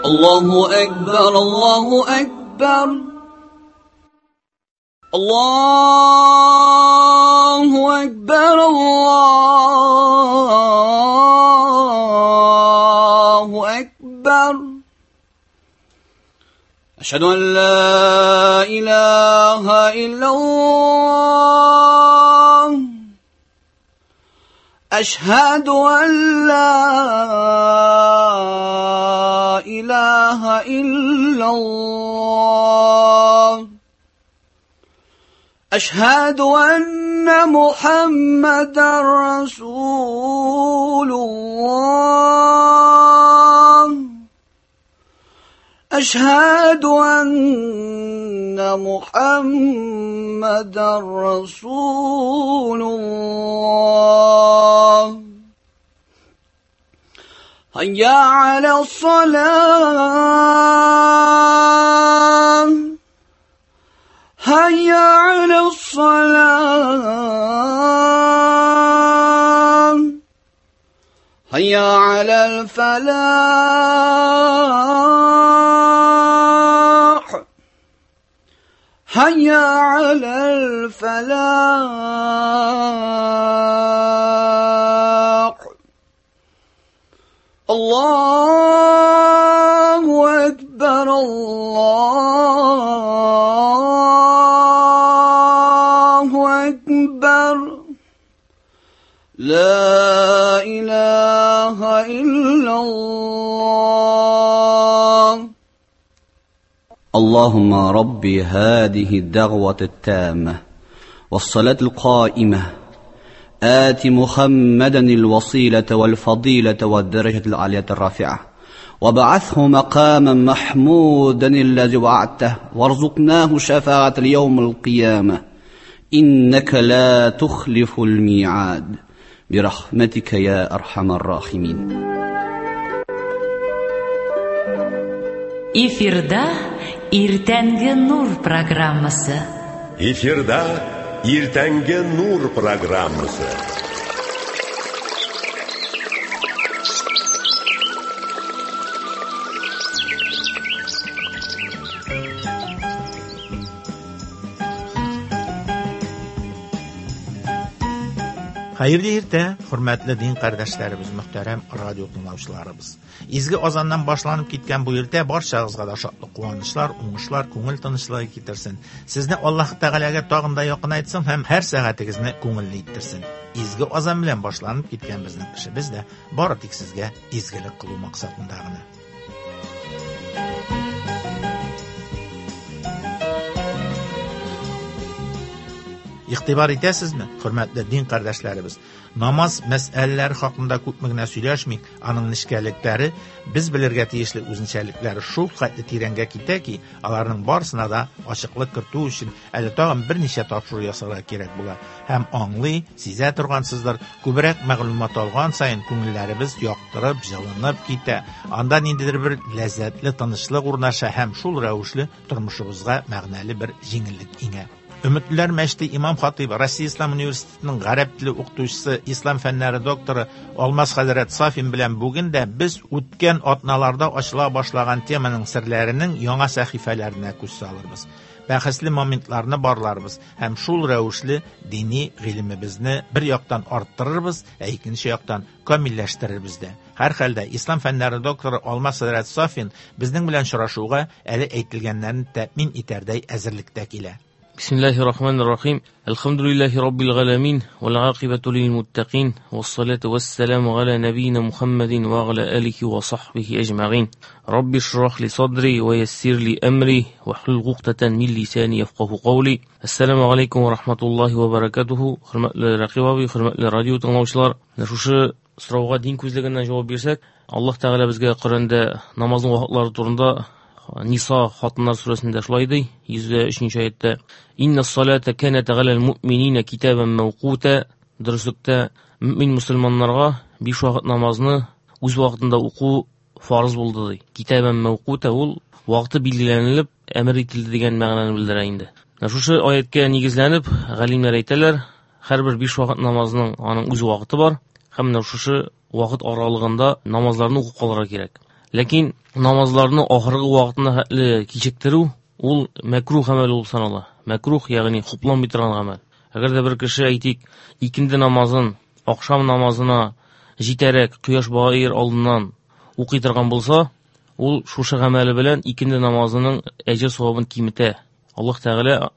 الله أكبر الله أكبر الله أكبر الله أكبر أشهد أن لا إله إلا الله أشهد أن لا إله إلا الله أشهد أن محمدا رسول الله أشهد أن محمدا رسول الله هيا على الصلاة هيا على الصلاة هيا على الفلاح هيا على الفلاح الله أكبر الله أكبر لا إله إلا الله اللهم ربي هذه الدعوة التامة والصلاة القائمة آت محمدا الوصيلة والفضيلة والدرجة العالية الرافعة وابعثه مقاما محمودا الذي وعدته وارزقناه شفاعة اليوم القيامة إنك لا تخلف الميعاد برحمتك يا أرحم الراحمين. Эфирда Иртәнге Нур программасы. Эфирда Иртәнге Нур программасы. Хәерле иртә, хөрмәтле дин кардәшләребез, мөхтәрәм радио тыңлаучыларыбыз. Изге азаннан башланып киткән бу иртә барчагызга да шатлык, куанычлар, уңышлар, күңел тынычлыгы китерсен. Сезне Аллаһ Тәгаләгә тагын да якынайтсын һәм һәр сәгатегезне күңелле иттерсен. Изге азан белән башланып киткән безнең эшебез дә бары тик сезгә изгелек кылу максатында гына. Игътибар итәсезме, хөрмәтле дин кардәшләребез? Намаз мәсьәләләре хакында күпме генә сөйләшмик, аның нечкәлекләре, без белергә тиешле үзенчәлекләре шул хәтле тирәнгә китә ки, аларның барысына да ачыклык кертү өчен әле тагын берничә тапшыру ясарга кирәк була. Һәм аңлый, сизә торгансыздыр, күбрәк мәгълүмат алган саен күңелләребез яктырып, җылынып китә. Анда ниндидер бер ләззәтле тынычлык урнаша һәм шул рәвешле тормышыбызга мәгънәле бер җиңеллек иңә. Өметлеләр мәчете имам хатыйбы, Россия Ислам университетының гарәп теле укытучысы, ислам фәннәре докторы Алмаз хәзрәт Сафин белән бүген дә без үткән атналарда ачыла башлаган теманың серләренең яңа сәхифәләренә күз салырбыз. Бәхәсле моментларны барларбыз һәм шул рәвешле дини гыйлемебезне бер яктан арттырырбыз, ә икенче яктан камилләштерербез дә. Һәр хәлдә ислам фәннәре докторы Алмаз хәзрәт Сафин безнең белән очрашуга әле әйтелгәннәрне тәэмин итәрдәй әзерлектә килә. بسم الله الرحمن الرحيم الحمد لله رب العالمين والعاقبة للمتقين والصلاة والسلام على نبينا محمد وعلى آله وصحبه أجمعين رب اشرح لي صدري ويسر لي أمري واحلل عقدة من لساني يفقه قولي السلام عليكم ورحمة الله وبركاته. Хөрмәтле Рәкыйп абый, хөрмәтле радио тыңлаучылар, менә шушы сорауга дин күзлегеннән җавап бирсәк, Аллаһ Тәгалә безгә Коръәндә намазның вакытлары турында Ниса хатыннар сүрәсендә шулай ди, 103 аятта: Инна салата канат галал муъминина китабан мавкута. Дөреслектә мөмин мөселманнарга 5 вакыт намазны үз вакытында уку фарыз булды ди. Китабан мавкута ул вакыты билгеләнелеп әмер ителде дигән мәгънәне белдерә инде. Менә шушы аяткә нигезләнеп галимнәр әйтәләр, һәрбер 5 вакыт намазның аның үз вакыты бар һәм менә шушы вакыт аралыгында намазларны укып калырга кирәк. Ләкин намазларны ахыргы вакытына хәтле кичектерү ул мәкрух гамәл булып санала. Мәкрух, ягъни хупланмый торган гамәл. Әгәр дә бер кеше, әйтик, икенде намазын ахшам намазына җитәрәк кояш баер алдыннан укый торган булса, ул шушы гамәле белән икенде намазының әҗер савабын киметә. Аллаһ Тәгалә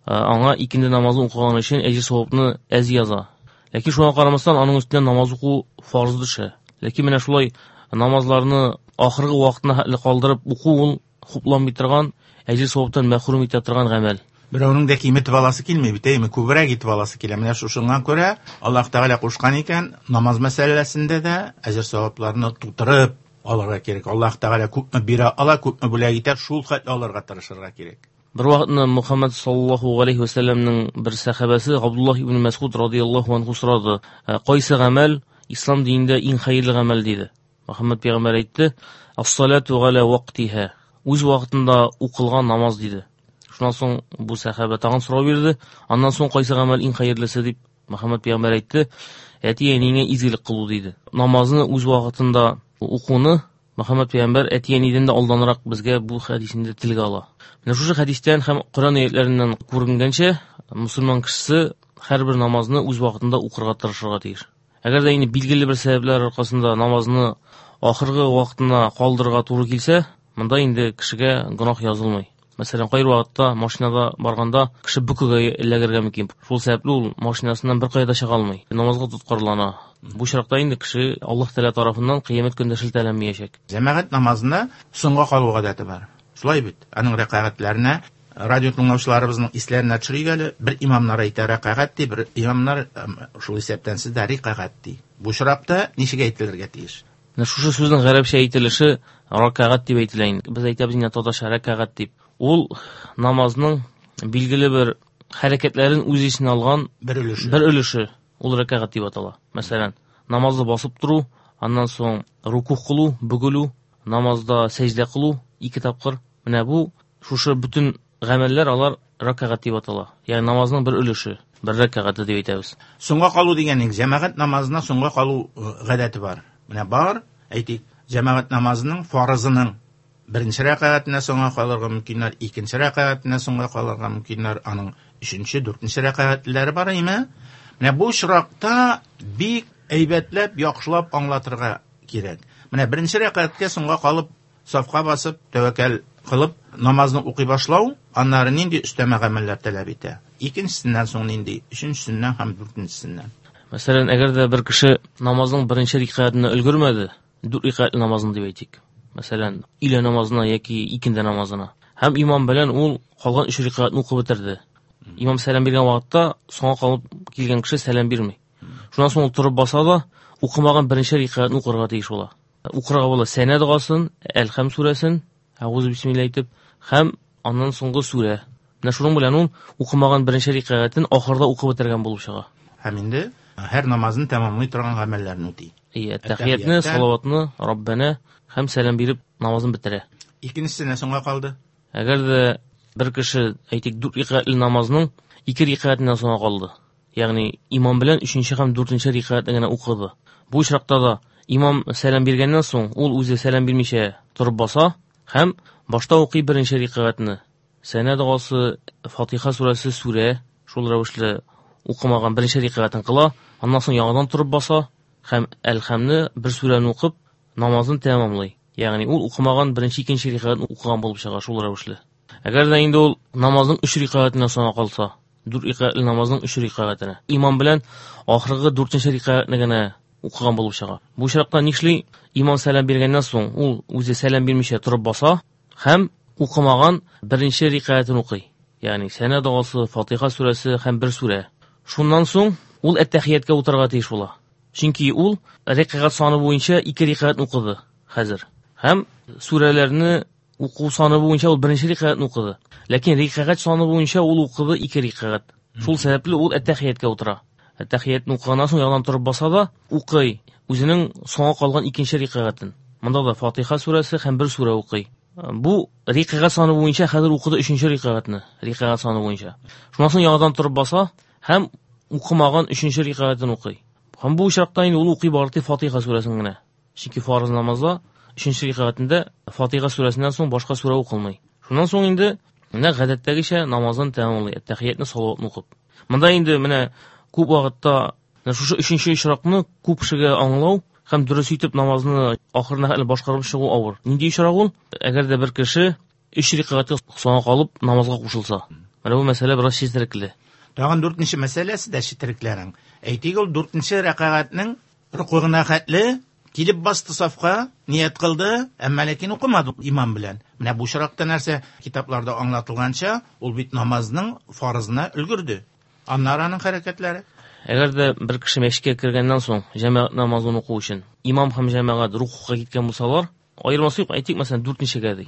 аңа икенде намазын укыган өчен әҗер савапны әз яза. Ләкин шуңа карамастан аның өстенә намаз уку фарз төшә. Ләкин менә шулай намазларны ахыргы вакытына хәтле калдырып уку ул хупланмый торган, әҗер саваптан мәхрүм итә торган гамәл. Берәүнең дә киметеп аласы килми бит, әйме, күбрәк итеп аласы килә. Менә шушыңа күрә Аллаһ Тәгалә кушкан икән, намаз мәсьәләсендә дә әҗер савапларны тутырып алырга кирәк. Аллаһ Тәгалә күпме бирә ала, күпме бүләк итә, шул хәтле алырга тырышырга кирәк. Бер вакытны Мухаммад саллаллаһу галәйһи вә сәлләмнең бер сәхабәсе Габдуллаһ ибн Мәсгуд радияллаһу анһу сорады: "Кайсы гамәл ислам динендә иң хәерле гамәл?" диде. Мухаммад пәйгамбәр әйтте: "Ас-салату галя вактиһа." Үз вакытында укылган намаз диде. Шуннан соң бу сәхабә тагын сорау бирде. Аннан соң кайсы гамәл иң хәерлесе дип Мөхәммәд пәйгамбәр әйтте: "Әти-әниеңә изгелек кылу" диде. Намазны үз вакытында укуны Мөхәммәд пәйгамбәр әти-әнидән дә алданрак безгә бу хәдисендә телгә ала. Менә шушы хәдистән һәм Коръән аятларыннан күренгәнчә, мусульман кешесе һәрбер намазны үз вакытында укырга тырышырга тиеш. Әгәр дә инде билгеле бер сәбәпләр аркасында намазны ахыргы вакытына калдырырга туры килсә, монда инде кешегә гөнаһ язылмый. Мәсәлән, кайбер вакытта машинада барганда кеше бөкегә эләгергә мөмкин. Шул сәбәпле ул машинасыннан беркая да чыга алмый. Намазга тоткарлана. Бу очракта инде кеше Аллаһ Тәгалә тарафыннан кыямәт көнендә шелтәләнмәячәк. Җәмәгать намазына соңга калу гадәте бар. Шулай бит? Аның рәкәгатьләренә радио тыңлаучыларыбызның исләренә төшерик әле. Бер имамнар әйтә рәкәгать ди, бер имамнар, шул исәптән сез дә рикәгать ди. Бу очракта ничек әйтелергә тиеш? Менә шушы сүзнең гарәпчә әйтелеше ракәгать дип әйтелә инде. Без әйтәбез инде татарча рәкәгать дип. Ул намазның билгеле бер хәрәкәтләрен үз эченә алган бер өлеше. Бер өлеше ул рәкәгать дип атала. Мәсәлән, намазда басып тору, аннан соң рукух кылу, бөгелү, намазда сәҗдә кылу ике тапкыр. Менә бу шушы бөтен гамәлләр алар рәкәгать дип атала. Ягъни намазның бер өлеше, бер рәкәгате дип әйтәбез. Соңга калу дигәнең, җәмәгать намазына соңга калу гадәте бар. Менә бар, әйтик, җәмәгать намазының фарызының беренче рәкәгатенә соңга калырга мөмкиннәр, икенче рәкәгатенә соңга калырга мөмкиннәр, аның өченче, дүртенче рәкәгатьләре бар име? Менә бу очракта бик әйбәтләп, яхшылап аңлатырга кирәк. Менә беренче рәкәгатькә соңга калып, сафка басып, тәвәккәл кылып, намазны укый башлау, аннары нинди өстәмә гамәлләр таләп итә? Икенчесеннән соң нинди? Өченчесеннән һәм дүртенчесеннән. Мәсәлән, әгәр дә бер кеше намазның беренче рәкәгатенә өлгермәде, дүрт рәкәгатьле намазын дип әйтик. Мәсәлән, өйлә намазына яки икенде намазына. Һәм имам белән ул калган өч рәкәгатьне укып бетерде. Имам сәлам биргән вакытта соңга калып килгән кеше сәлам бирми. Шуннан соң ул торып баса да, укымаган беренче рәкәгатьне укырга тиеш була. Укырга була Сәнә догасын, Әлхәм сүрәсен, Әгъузу бисмилла әйтеп, һәм аннан соңгы сүрә. Менә шуның белән ул укымаган беренче рәкәгатен ахырда укып бетергән булып чыга. Һәм инде һәр намазын тәмамлый торган гамәлләрне үти. Ие, тәхиятне, салаватны, Раббана һәм сәлам биреп намазын бетерә. Икенчесенә соңга калды. Әгәр дә бер кеше, әйтик, дүрт рәкәгатьле намазның ике рәкәгатеннән соңга калды. Ягъни имам белән өченче һәм дүртенче рәкәгатьне генә укыды. Бу очракта да имам сәлам биргәннән соң ул үзе сәлам бирмичә торып баса һәм башта укый беренче рәкәгатьне. Сәнә догасы, Фатиха сүрәсе, сүрә, шул рәвешле укымаган беренче рәкәгатен кыла, аннан соң яңадан торып баса һәм Әлхәмне бер сүрәне укып намазын тәмамлый. Ягъни ул укымаган беренче, икенче рәкәгатен укыган булып чыга шул рәвешле. Әгәр дә инде ул намазның өч рәкәгатенә соңга калса, дүрт рәкәгатьле намазның өч рәкәгатенә, имам белән ахыргы дүртенче рәкәгатьне генә укыган булып чыга. Бу очракта нишли? Имам сәлам биргәннән соң ул үзе сәлам бирмичә торып баса һәм укымаган беренче рәкәгатен укый. Ягъни Сәнә догасы, Фатиха сүрәсе һәм бер сүрә. Шуннан соң ул әттәхияткә утырырга тиеш була. Чөнки ул рәкәгать саны буенча ике рәкәгать укыды хәзер. Һәм сүрәләрне уку саны буенча ул беренче рәкәгатьне укыды. Ләкин рәкәгать саны буенча ул укыды ике рәкәгать. Шул сәбәпле ул әттәхияткә утыра. Әттәхиятне укыганнан соң яңадан торып баса да укый үзенең соңга калган икенче рәкәгатен. Монда да Фатиха сүрәсе һәм бер сүрә укый. Бу рәкәгать саны буенча хәзер укыды өченче рәкәгатьне, рәкәгать саны буенча. Шуннан соң яңадан торып баса һәм укымаган өченче рәкәгатен укый. Һәм бу очракта инде ул укый бары тик Фатиха сүрәсен генә. Чөнки фарыз намазда Өченче рәкәгатендә Фатиха сүрәсеннән соң башка сүрә укылмый. Шуннан соң инде менә гадәттәгечә намазын тәмамлый, әт-тәхиятне, салаватны укып. Монда инде менә күп вакытта шушы өченче очракны күп кешегә аңлау һәм дөрес итеп намазны ахырына хәтле башкарып чыгу авыр. Нинди очрак ул? Әгәр дә бер кеше өч рәкәгатькә соңга калып намазга кушылса. Менә бу мәсьәлә бераз четерекле. Тагын дүртенче мәсьәләсе дә четерекләрнең. Әйтик, ул дүртенче рәкәгатьнең рукугына хәтле килеп басты сафка, ният кылды, әмма ләкин укымады имам белән. Менә бу очракта нәрсә китапларда аңлатылганча, ул бит намазның фарызына өлгерде. Аннары аның хәрәкәтләре. Әгәр дә бер кеше мәчеткә кергәннән соң җәмәгать намазын уку өчен имам һәм җәмәгать рукугка киткән булсалар, аермасы юк, әйтик, мәсәлән, дүртенчегә ди.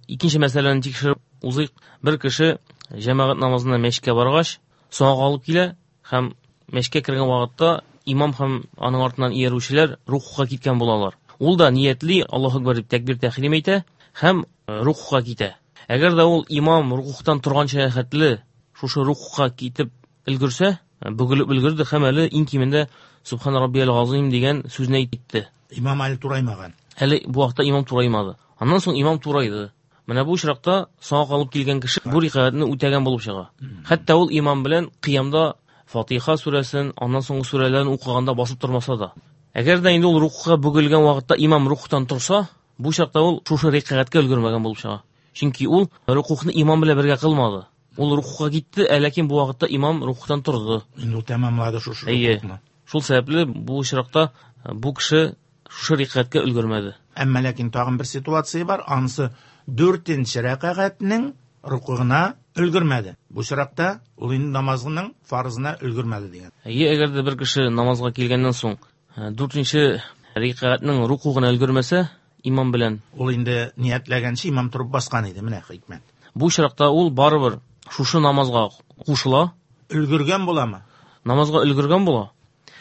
Икенче мәсьәләне тикшереп узыйк. Бер кеше җәмәгать намазына мәчеткә баргач, соңга калып килә һәм мәчеткә кергән вакытта имам һәм аның артыннан иярүчеләр рукугка киткән булалар. Ул да ниятли, Аллаһу акбар дип тәкбир тәхрим әйтә һәм рукугка китә. Әгәр дә ул имам рукугтан торганча хәтле шушы рукугка китеп өлгерсә, бөгелеп өлгерде һәм әле иң кимендә Субхан раббиял газыйм дигән сүзне әйтте. Имам әле тураймаган. Әле бу вакытта имам тураймады. Аннан соң имам турайды. Менә бу очракта соңга калып килгән кеше бу рикәгатьне үтәгән булып чыга. Хәтта ул имам белән кыямда Фатиха сүрәсен, аннан соңгы сүрәләрен укыганда басып тормаса да. Әгәр дә инде ул рукугка бөгелгән вакытта имам рукугтан торса, бу чакта ул шушы рикәгатькә өлгермәгән булып чыга. Чөнки ул рукугны имам белән бергә кылмады. Ул рукугка китте, ә ләкин бу вакытта имам рукугтан торды. Инде ул тәмамлады шушы рукугны. Шул сәбәпле бу очракта бу кеше шушы рикәгатькә өлгермәде. Әмма ләкин тагын бер ситуация бар, анысы дүртенче рәкәгатьнең рукугына өлгермәде. Бу очракта ул инде намазының фарызына өлгермәде дигән. Әйе, әгәр дә бер кеше намазга килгәннән соң дүртенче рәкәгатьнең рукугына өлгермәсә, имам белән ул инде ниятләгәнче имам торып баскан иде, менә хикмәт. Бу очракта ул барыбер шушы намазга кушыла. Өлгергән буламы? Намазга өлгергән була.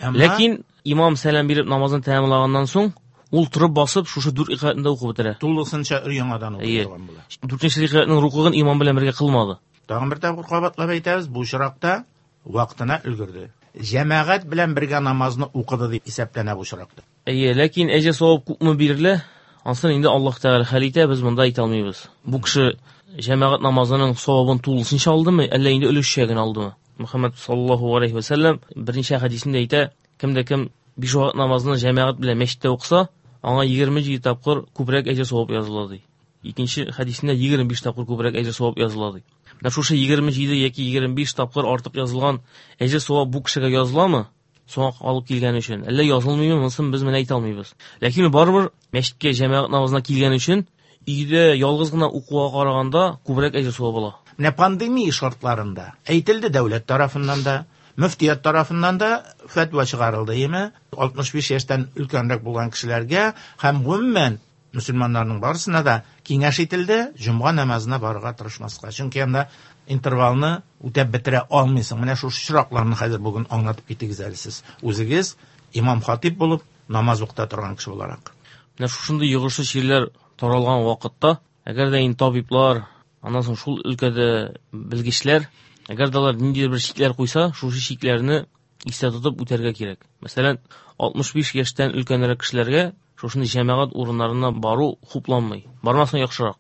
Ләкин имам сәлам биреп намазын тәмамлаганнан соң, ул торып басып шушы дүрт рәкәгатьне дә укып бетерә. Тулысынча өр-яңадан укый торган була. Дүртенче рәкәгатьнең рукугын имам белән бергә кылмады. Тагын бер тапкыр кабатлап әйтәбез, бу очракта вакытына өлгерде. Җәмәгать белән бергә намазны укыды дип исәпләнә бу очракта. Әйе, ләкин әҗер савап күпме бирелә, ансын инде Аллаһ Тәгалә хәл итә, без монда әйтә алмыйбыз. Бу кеше җәмәгать намазының савабын тулысынча алдымы, әллә инде өлешчә генә алдымы? Мөхәммәд саллаллаһу алейхи ва сәлләм берничә хәдисендә әйтә, кем дә кем биш вакыт намазны җәмәгать белән мәчеттә укыса, аңа 27 тапкыр күбрәк әҗер савап языла ди. Икенче хәдисендә 25 тапкыр күбрәк әҗер савап языла ди. Менә шушы 27 яки 25 тапкыр артык язылган әҗер савап бу кешегә языламы? Соңга алып килгән өчен. Әллә язылмыймы, монысын без менә әйтә алмыйбыз. Ләкин барыбер мәчеткә җәмәгать намазына килгән өчен өйдә ялгыз гына укуга караганда күбрәк әҗер савап ала. Менә пандемия шартларында әйтелде дәүләт тарафыннан да, мөфтият тарафыннан да фәтва чыгарылды, әйеме? 65 яшьтән өлкәнрәк булган кешеләргә һәм гомумән мөселманнарның барысына да киңәш ителде җомга намазына барырга тырышмаска. Чөнки анда интервалны үтәп бетерә алмыйсың. Менә шушы очракларны хәзер бүген аңлатып китегез әле сез. Үзегез имам хатип булып намаз укыта торган кеше буларак. Менә шушындый йогышлы чирләр таралган вакытта, әгәр дә инде табиблар, аннан соң шул өлкәдә белгечләр, әгәр дә алар ниндидер бер чикләр куйса, шушы чикләрне истә тотып үтәргә кирәк. Мәсәлән, 65 яшьтән өлкәнрәк кешеләргә шушындый җәмәгать урыннарына бару хупланмый. Бармасаң яхшырак.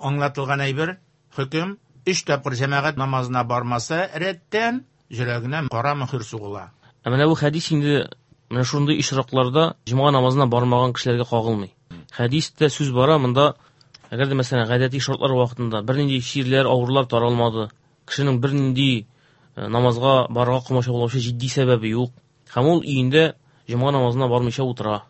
Аңлатылган әйбер, хөкем, 3 тапкыр җәмәгать намазына бармаса, рәттән йөрәгенә кара мөһер сугыла. Ә менә бу хәдис инде менә шундый очракларда җомга намазына бармаган кешеләргә кагылмый. Хәдистә сүз бара монда, әгәр дә мәсәлән гадәти шартлар вакытында бернинди чирләр, авырулар таралмады, кешенең бернинди намазга барырга комачаулаучы җитди сәбәбе юк, һәм ул өендә җомга намазына бармыйча утыра.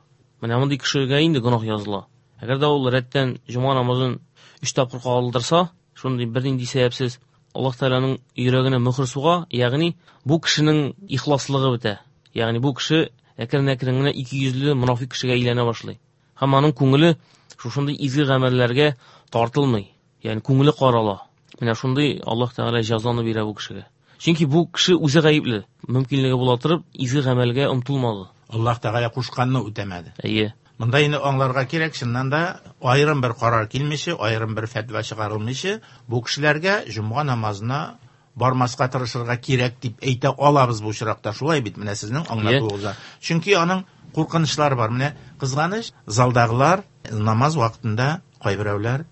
Менә мондый кешегә инде гөнаһ языла. Әгәр дә ул рәттән җомга намазын 3 тапкыр калдырса, шундый бернинди сәбәпсез Аллаһ Тәгаләнең йөрәгенә мөһер суга, ягъни бу кешенең ихласлыгы бетә. Ягъни бу кеше әкрен-әкрен генә ике йөзле монафик кешегә әйләнә башлый. Һәм аның күңеле шушындый изге гамәлләргә тартылмый. Ягъни күңеле карала. Менә шундый Аллаһ Тәгалә җәзаны бирә бу кешегә. Чөнки бу кеше үзе гаепле. Мөмкинлеге була торып, изге гамәлгә омтылмады. Аллаһ Тәгалә кушканны үтәмәде. Әйе. Монда инде аңларга кирәк, чыннан да аерым бер карар килмичә, аерым бер фәтва чыгарылмыйча, бу кешеләргә җомга намазына бармаска тырышырга кирәк дип әйтә алабыз бу очракта. Шулай бит, менә сезнең аңлатуыгызда. Чөнки аның куркынычлары бар. Менә кызганыч, залдагылар Намаз вакытында кайберәүләр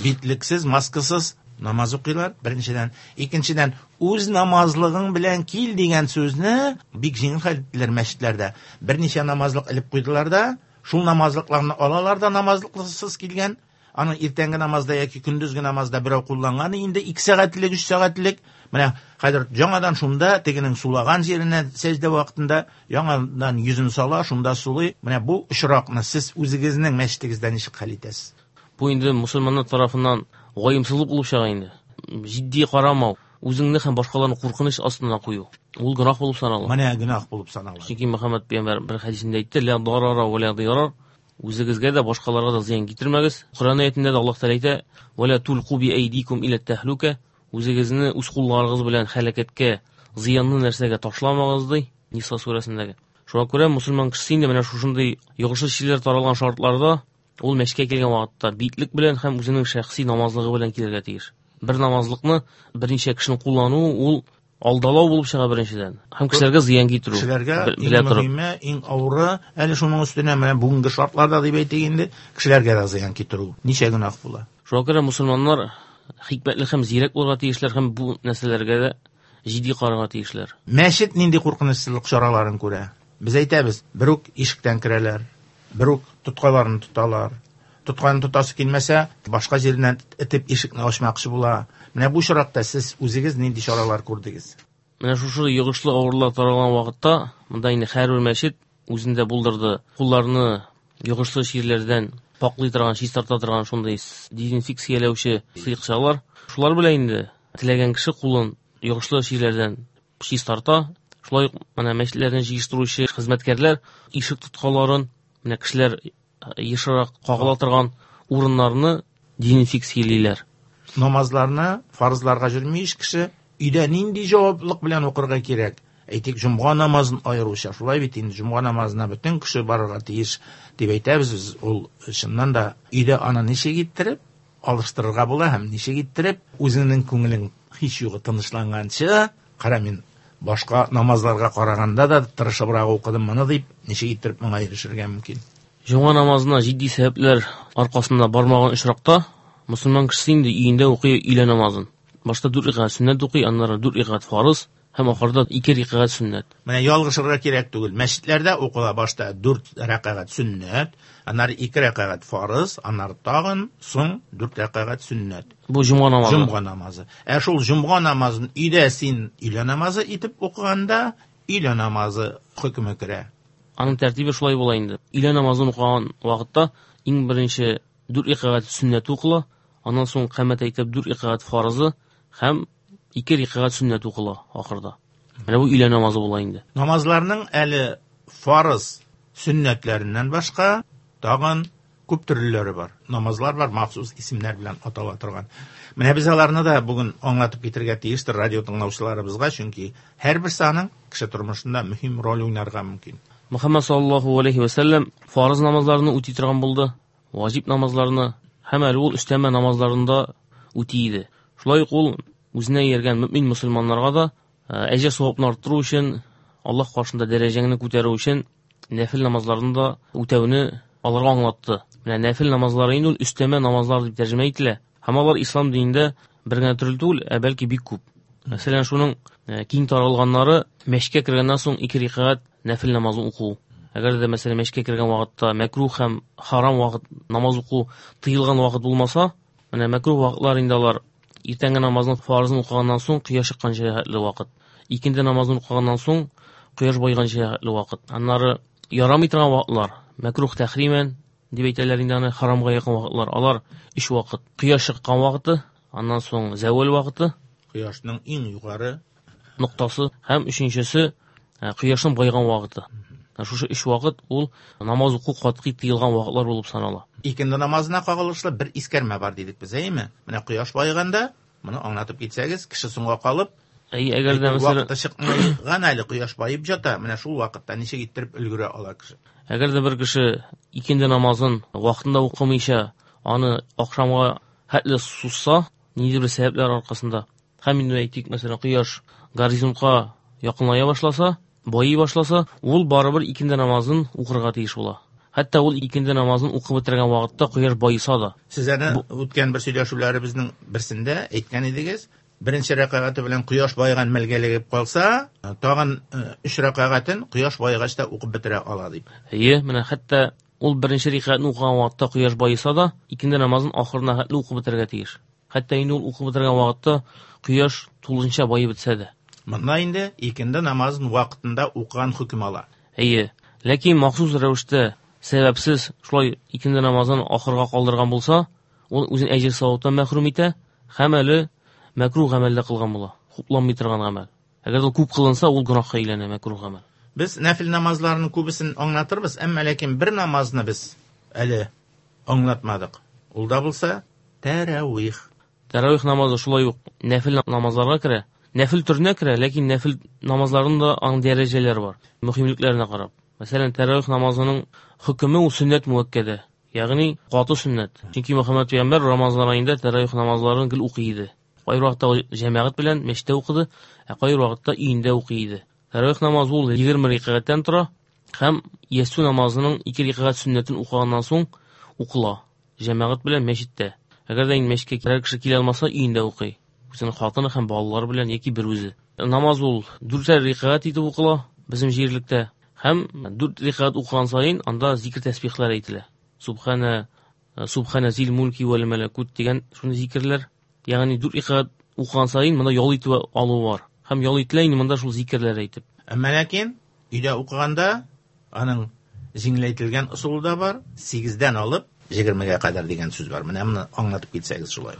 битлексез, маскасыз намаз укыйлар, беренчедән. Икенчедән, үз намазлыгың белән кил дигән сүзне бик җиңел хәл иттеләр мәчетләрдә. Берничә намазлык элеп куйдылар да, шул намазлыкларны алалар да намазлыксыз килгән. Аны иртәнге намазда яки көндезге намазда берәү кулланган инде 2 сәгатьлек, 3 сәгатьлек. Менә хәзер яңадан шунда тегенең сулаган җиренә сәҗдә вакытында яңадан йөзен сала, шунда сулый. Менә бу очракны сез үзегезнең мәчетегездә ничек хәл итәсез? Бу инде мусульманнар тарафыннан ваемсызлык булып чыга инде. Җитди карамау, үзеңне һәм башкаларны куркыныч астына кую. Ул гөнаһ булып санала. Менә гөнаһ булып санала. Чөнки Мөхәммәд пәйгамбәр бер хәдисендә әйтте: "Ла дарара ва ла дирар." Үзегезгә дә, башкаларга да зыян китермәгез. Коръән аятендә дә Аллаһ Тәгалә әйтә: "Ва ла тулку би әйдикум иля тәһлүкә." Үзегезне үз кулларыгыз белән һәлакәткә, зыянлы нәрсәгә ташламагыз, ди Ниса сүрәсендәге. Шуңа күрә мусульман кешесе инде менә шушындый йогышлы чирләр таралган шартларда ул мәчеткә килгән вакытта битлек белән һәм үзенең шәхси намазлыгы белән килергә тиеш. Бер намазлыкны берничә кешенең куллануы ул алдалау булып чыга беренчедән. Һәм кешеләргә зыян китерү. Кешеләргә иң мөһиме, иң авыры, әле шуның өстенә менә бүгенге шартларда дип әйтик инде, кешеләргә дә зыян китерү. Ничә гөнаһ була. Шуңа күрә мусульманнар хикмәтле һәм зирәк булырга тиешләр һәм бу нәрсәләргә дә җитди карарга тиешләр. Мәчет нинди куркынычсызлык чараларын күрә? Без әйтәбез, бер үк ишектән керәләр, бер үк тоткаларын тоталар. Тотканы тотасы килмәсә, башка җиреннән этеп ишекне ачмакчы була. Менә бу очракта сез үзегез нинди чаралар күрдегез? Менә шушы йогышлы авырулар таралган вакытта, монда инде һәрбер мәчет үзендә булдырды. Кулларны йогышлы чирләрдән паклый торган, чистарта торган шундый дезинфекцияләүче сыекчалар. Шулар белән инде теләгән кеше кулын йогышлы чирләрдән чистарта. Шулай ук менә мәчетләрне җыештыручы хезмәткәрләр ишек тоткаларын, менә кешеләр ешрак кагыла торган урыннарны дезинфекциялиләр. Намазларны фарызларга йөрми ич кеше, өйдә нинди җаваплылык белән укырга кирәк? Әйтик, җомга намазын аеруча, шулай бит инде, җомга намазына бөтен кеше барырга тиеш дип әйтәбез без. Ул чыннан да өйдә аны ничек иттереп алыштырырга була һәм ничек иттереп үзеңнең күңелең һич югы тынычланганчы, кара мин башка намазларга караганда да тырышыбрак укыдым моны дип, ничек иттереп моңа ирешергә мөмкин? Җомга намазына җитди сәбәпләр аркасында бармаган очракта мусульман кешесе инде өендә укый өйлә намазын. Башта 4 рәкәгать сөннәт укый, аннары 4 рәкәгать фарыз һәм ахырда 2 рәкәгать сөннәт. Менә ялгышырга кирәк түгел. Мәчетләрдә укыла башта 4 рәкәгать сөннәт, аннары 2 рәкәгать фарыз, аннары тагын соң 4 рәкәгать сөннәт. Бу җомга намазы. Җомга намазы. Ә шул җомга намазын өйдә син өйлә намазы итеп укыганда, өйлә намазы хөкеме керә. Аның тәртибе шулай була инде. Өйлә намазын укыган вакытта иң беренче 4 рәкәгать сөннәт укыла, аннан соң камәт әйтеп 4 рәкәгать фарызы һәм 2 рәкәгать сөннәт укыла ахырда. Менә бу өйлә намазы була инде. Намазларның әле фарыз сөннәтләреннән башка тагын күп төрлеләре бар. Намазлар бар, махсус исемнәр белән атала торган. Менә без аларны да бүген аңлатып китергә тиештер радио тыңлаучыларыбызга, чөнки һәрберсе аның кеше тормышында мөһим роль уйнарга мөмкин. Мөхәммәд саллаллаһу алейхи ва сәлләм фарыз намазларны үти торган булды, ваҗиб намазларны һәм әле ул өстәмә намазларын да үти иде. Шулай ук ул үзенә ияргән мөмин мусульманнарга да әҗер савапны арттыру өчен, Аллаһ каршында дәрәҗәңне күтәрү өчен нәфил намазларны да үтәүне аларга аңлатты. Менә нәфил намазлары инде ул өстәмә намазлар дип тәрҗемә ителә. Һәм алар ислам динендә бер генә төрле түгел, ә бәлки бик күп. Мәсәлән, шуның киң таралганнары мәчеткә кергәннән соң 2 рәкәгать нәфил намазын уку. Әгәр дә мәсәлән мәчеткә кергән вакытта мәкрух һәм харам вакыт намаз уку тыелган вакыт булмаса, менә мәкрух вакытлар инде алар иртәнге намазның фарызын укыганнан соң кояш чыкканча хәтле вакыт. Икенде намазын укыганнан соң кояш байганча хәтле вакыт. Аннары ярамый торган вакытлар, мәкрух тәхримән дип әйтәләр инде аны, харамга якын вакытлар. Алар 3 вакыт. Кояш чыккан вакыты, аннан соң зәвәл вакыты, кояшның иң югары ноктасы һәм өченчесе кояшның байган вакыты. Шушы 3 вакыт ул намаз уку катгый тыелган вакытлар булып санала. Икенде намазына кагылышлы бер искәрмә бар дидек без, әйеме? Менә кояш байганда, моны аңлатып китсәгез, кеше соңга калып, әй, әгәр дә мәсәлән вакыты чыкмаган әле, кояш баеп ята, менә шул вакытта ничек иттереп өлгерә ала кеше? Әгәр дә бер кеше икенде намазын вакытында укымыйча, аны ахшамга хәтле сузса, ниндидер бер сәбәпләр аркасында, һәм инде әйтик, мәсәлән, кояш горизонтка якыная башласа, байый башласа, ул барыбер икенде намазын укырга тиеш була. Хәтта ул икенде намазын укып бетергән вакытта кояш баеса да. Сез әнә үткән бер сөйләшүләребезнең берсендә әйткән идегез, беренче рәкәгате белән кояш баеган мәлгә эләгеп калса, тагын 3 рәкәгатен кояш баегач та укып бетерә ала дип. Әйе, менә хәтта ул беренче рәкәгатьне укыган вакытта кояш баеса да, икенде намазын ахырына хәтле укып бетерергә тиеш. Хәтта инде ул укып бетергән вакытта кояш тулысынча баеп бетсә дә. Монда инде икенде намазын вакытында укыган хөкем ала. Әйе, ләкин махсус рәвештә сәбәпсез шулай икенде намазын ахырга калдырган булса, ул үзен әҗер саваптан мәхрүм итә һәм әле мәкруh гамәлдә кылган була, хупланмый торган гамәл. Әгәр ул күп кылынса, ул гөнаһка әйләнә, мәкруh гамәл. Без нәфил намазларының күбесен аңлатырбыз, әмма ләкин бер намазны без әле аңлатмадык. Ул да булса тәравих. Тәравих намазы шулай ук нәфил намазларга керә. Нәфил төренә керә, ләкин нәфил намазларының да аның дәрәҗәләре бар, мөһимлекләренә карап. Мәсәлән, тәравих намазының хөкеме ул сөннәт муәккәдә, ягъни каты сөннәт. Чөнки Мөхәммәд пәйгамбәр Рамазан аенда тәравих намазларын гел укый иде. Кайбер вакытта ул җәмәгать белән мәчеттә укыды, ә кайбер вакытта өендә укый иде. Тәравих намазы ул 20 рәкәгатьтән тора һәм ястү намазының 2 рәкәгать сөннәтен укыганнан соң укыла җәмәгать белән мәчеттә. Әгәр дә инде мәчеткә берәр кеше килә алмаса, өендә укый. Үзенең хатыны һәм балалары белән яки бер үзе. Намаз ул 4 рәкәгать итеп укыла безнең җирлектә. Һәм 4 рәкәгать укыган саен анда зикр тәсбихләр әйтелә. Субхана, субхана зил мулки вәл мәләкут дигән шундый зикерләр. Ягъни 4 рәкәгать укыган саен монда ял итү алу бар. Һәм ял ителә инде монда шул зикерләр әйтеп. Әмма ләкин өйдә укыганда аның җиңеләйтелгән ысулы да бар, 8-дән алып 20-гә кадәр дигән сүз бар. Менә моны аңлатып китсәгез шулай.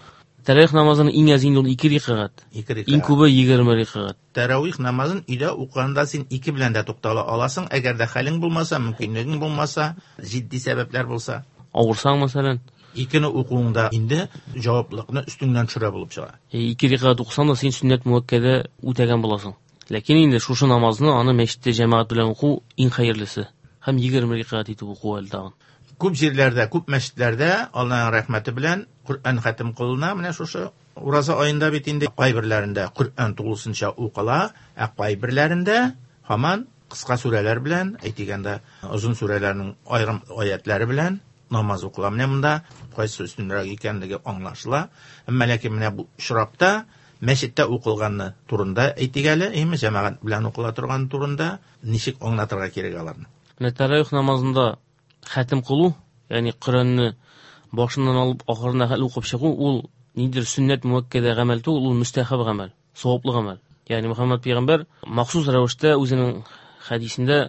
Тәравих намазының иң әзе инде ул 2 рәкәгать. 2 рәкәгать. Иң күбе 20 рәкәгать. Тәравих намазын өйдә укыганда син 2 белән дә туктала аласың, әгәр дә хәлең булмаса, мөмкинлегең булмаса, җитди сәбәпләр булса. Авырсаң, мәсәлән. 2-не укуыңда инде җаваплылыкны өстеңнән төшерә булып чыга. 2 рәкәгать укысаң да син сөннәт муәккәдә үтәгән буласың. Ләкин инде шушы намазны аны мәчеттә җәмәгать белән уку иң хәерлесе. Һәм 20 рәкәгать итеп уку әле тагын. Күп җирләрдә, күп мәчетләрдә Аллаһның рәхмәте белән Коръән хәтем кылына. Менә шушы ураза аенда бит инде кайберләрендә Коръән тулысынча укыла, ә кайберләрендә һаман кыска сүрәләр белән, әйтик анда озын сүрәләрнең аерым аятлары белән намаз укыла. Менә монда кайсы өстенрәк икәнлеге аңлашыла. Әмма ләкин менә бу очракта мәчеттә укылганны турында әйтик әле, әйме, җәмәгать белән укыла торган турында ничек аңлатырга кирәк аларны? Менә тәравих намазында хәтем кылу, ягъни Коръәнне башыннан алып ахырына хәтле укып чыгу, ул ниндидер сөннәт муәккәдә гамәл түгел, ул мөстәхәб гамәл, саваплы гамәл. Ягъни Мөхәммәд пәйгамбәр махсус рәвештә үзенең хәдисендә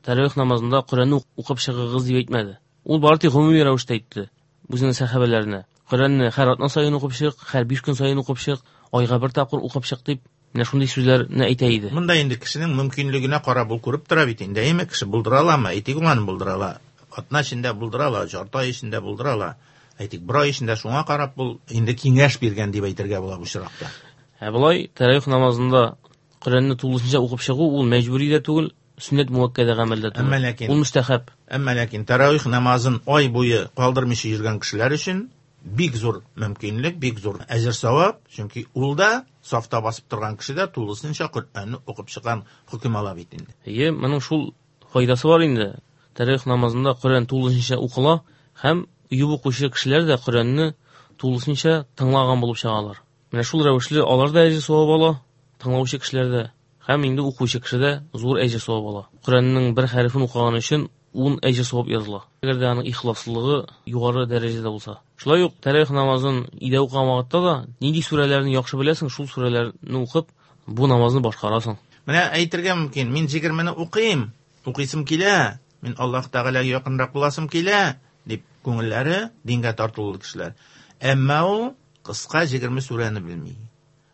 тәравих намазында Коръәнне укып чыгыгыз дип әйтмәде. Ул бары тик гомуми рәвештә әйтте үзенең сәхабәләренә. Коръәнне һәр атна саен укып чык, һәр 5 көн саен укып чык, айга бер тапкыр укып чык дип менә шундый сүзләрне әйтә иде. Монда инде кешенең мөмкинлегенә карап ул күреп тора бит инде, әйме, кеше булдыра аламы? Әйтик, ул аны булдыра ала. Атна эчендә булдыра ала, жарты ай эчендә булдыра ала. Әйтик, бер ай эчендә, шуңа карап ул инде киңәш биргән дип әйтергә була бу очракта. Ә болай тәравих намазында Коръәнне тулысынча укып чыгу ул мәҗбүри дә түгел, сөннәт муәккәдә гамәлдә түгел. Әмма ләкин Ул мөстәхәб. Әмма ләкин тәравих намазын ай буе калдырмыйча йөргән кешеләр өчен бик зур мөмкинлек, бик зур әҗер савап, чөнки ул да сафта басып торган кеше дә тулысынча Коръәнне укып чыккан хөкем ала бит инде. Әйе, моның шул файдасы бар инде. Тәравих намазында Коръән тулысынча укыла һәм өеп укучы кешеләр дә Коръәнне тулысынча тыңлаган булып чыгалар. Менә шул рәвешле алар да әҗер савап ала, тыңлаучы кешеләр дә һәм инде укучы кеше дә зур әҗер савап ала. Коръәннең бер хәрефен укыган өчен 10 әҗер савап языла. Әгәр дә аның ихласлылыгы югары дәрәҗәдә булса. Шулай ук тәравих намазын өйдә укыган вакытта да нинди сүрәләрне яхшы беләсең, шул сүрәләрне укып бу намазны башкарасың. Менә әйтергә мөмкин, мин 20-не укыйм, укыйсым килә, мин Аллаһ Тәгаләгә якынрак буласым килә, дип күңелләре дингә тартылулы кешеләр. Әмма ул кыска 20 сүрәне белми.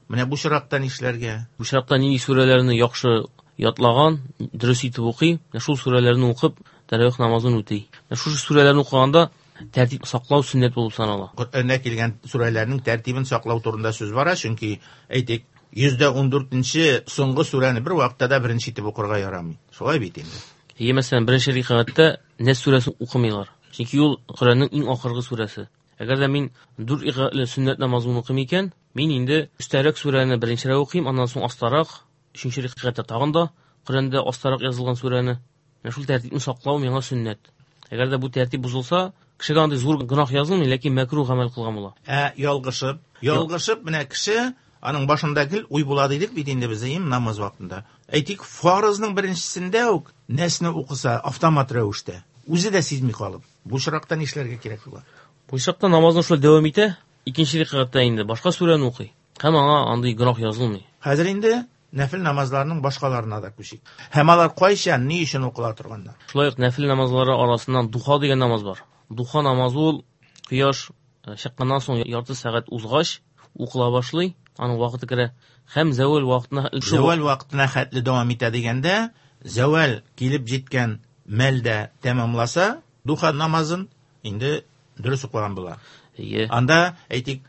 Менә бу очракта нишләргә? Бу очракта нинди сүрәләрне яхшы ятлаган, дөрес итеп укый, менә шул сүрәләрне укып тәравих намазын үти. Менә шушы сүрәләрне укыганда тәртип саклау сөннәт булып санала. Коръәндә килгән сүрәләрнең тәртибен саклау турында сүз бара, чөнки әйтик, 114-нче соңгы сүрәне бер вакытта да беренче итеп укырга ярамый. Шулай бит инде. Әйе, мәсәлән, беренче рәкәгатьтә Нәс сүрәсен укымыйлар. Чөнки ул Коръәннең иң ахыргы сүрәсе. Әгәр дә мин 4 рәкәгатьле сөннәт намазын укыйм икән, мин инде өстәрәк сүрәне беренчерәк укыйм, аннан соң астарак, өченче рәкәгатьтә тагын да Коръәндә астарак язылган сүрәне. Менә шул тәртипне саклау миңа сөннәт. Әгәр дә бу тәртип бозылса, кешегә андый зур гөнаһ язылмый, ләкин мәкруһ гамәл кылган була. Ә ялгышып, ялгышып менә кеше аның башында гел уй була дидек бит инде без им намаз вакытында. Әйтик, фарызның беренчесендә үк нәсне укыса автомат рәвештә, үзе дә сизми калып. Бу очракта нишләргә кирәк була? Бу очракта намазны шулай дәвам итә, икенче рәкәгатьтә инде башка сүрәне укый. Һәм аңа андый гөнаһ язылмый. Хәзер инде нәфил намазларының башкаларына да күчик. Һәм алар кайчан, ни өчен укыла торганнар? Шулай ук нәфил намазлары арасыннан духа дигән намаз бар. Духа намазы ул кояш чыкканнан соң ярты сәгать узгач укыла башлый, аның вакыты керә. Һәм зәвәл вакытына Зәвәл вакытына хәтле дәвам итә дигәндә, зәвәл килеп җиткән мәлдә тәмамласа, духа намазын инде дөрес укыган була. Әйе. Анда, әйтик,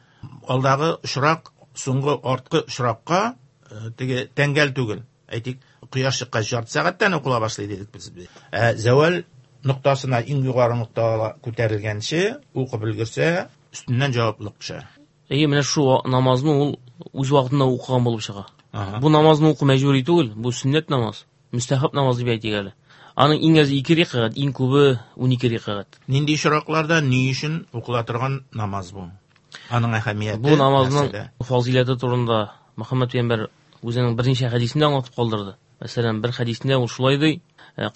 алдагы очрак соңгы арткы очракка теге тәңгәл түгел. Әйтик, кояш чыккач ярты сәгатьтән укыла башлый дидек без. Ә зәвәл ноктасына иң югары ноктага күтәрелгәнче укып өлгерсә, өстеннән җаваплылык төшә. Әйе, менә шу намазны ул үз вакытында укыган булып чыга. Бу намазны уку мәҗбүри түгел, бу сөннәт намаз, мөстәхәб намаз дип әйтик әле. Аның иң әзе 2 рәкәгать, иң күбе 12 рәкәгать. Нинди очракларда ни өчен укыла торган намаз бу? Аның әһәмияте Бу намазның фазыйләте турында Мөхәммәд пәйгамбәр үзенең берничә хәдисендә аңлатып калдырды. Мәсәлән, бер хәдисендә ул шулай ди: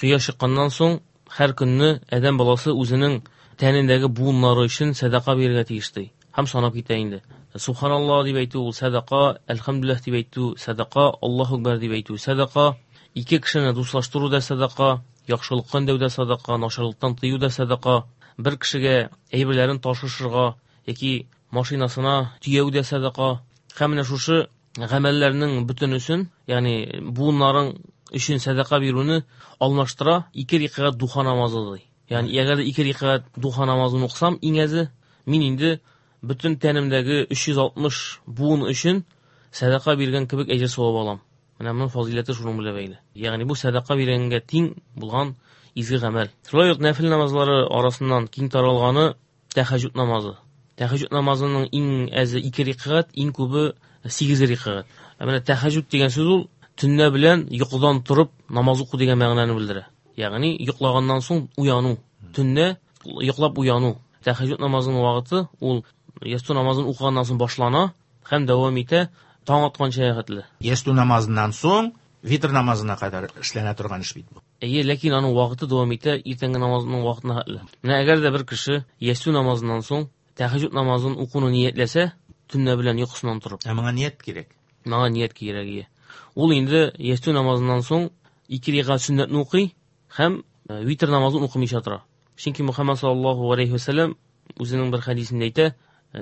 "Кояш чыкканнан соң һәр көнне адәм баласы үзенең тәнендәге буыннары өчен сәдака бирергә тиеш" ди. Һәм санап китә инде. Субханаллаһ дип әйтү ул сәдака, әлхәмдүлилләһ дип әйтү сәдака, Аллаһу акбар дип әйтү сәдака, ике кешене дуслаштыру да сәдака, яхшылыкка өндәү дә сәдака, начарлыктан тыю да сәдака, бер кешегә әйберләрен ташышырга яки машинасына төяү дә сәдака. Һәм менә шушы гамәлләрнең бөтенесен, ягъни буыннарың өчен сәдака бирүне алмаштыра ике рәкәгать духа намазы ди. Ягъни әгәр дә ике рәкәгать духа намазын укысам, иң әзе мин инде бөтен тәнемдәге 360 буын өчен сәдака биргән кебек әҗер савап алам. Менә моның фазыйләте шуның белән бәйле. Ягъни бу сәдака биргәнгә тиң булган изге гамәл. Шулай ук нәфил намазлары арасыннан киң таралганы тәһәҗҗүд намазы. Тәһәҗҗүд намазының иң әзе 2 рәкәгать, иң күбе 8 рәкәгать. Ә менә тәһәҗҗүд дигән сүз ул төнлә белән йокыдан торып намаз уку дигән мәгънәне белдерә. Ягъни йоклаганнан соң уяну, төнлә йоклап уяну. Тәһәҗҗүд намазының вакыты ул ястү намазын укыганнан соң башлана һәм дәвам итә таң атканча хәтле. Ястү намазыннан соң витр намазына кадәр эшләнә торган эш бит бу. Әйе, ләкин аның вакыты дәвам итә иртәнге намазның вакытына хәтле. Менә әгәр дә бер кеше ястү намазыннан соң тәһәҗҗүд намазын укуны ниятләсә, төнлә белән йокысыннан торып. Ә моңа ният кирәк. Моңа ният кирәк, ие. Ул инде ястү намазыннан соң ике рәкәгать сөннәтне укый һәм витр намазын укымыйча тора. Чөнки Мөхәммәд саллаллаһу алейхи ва сәлләм үзенең бер хәдисендә әйтә: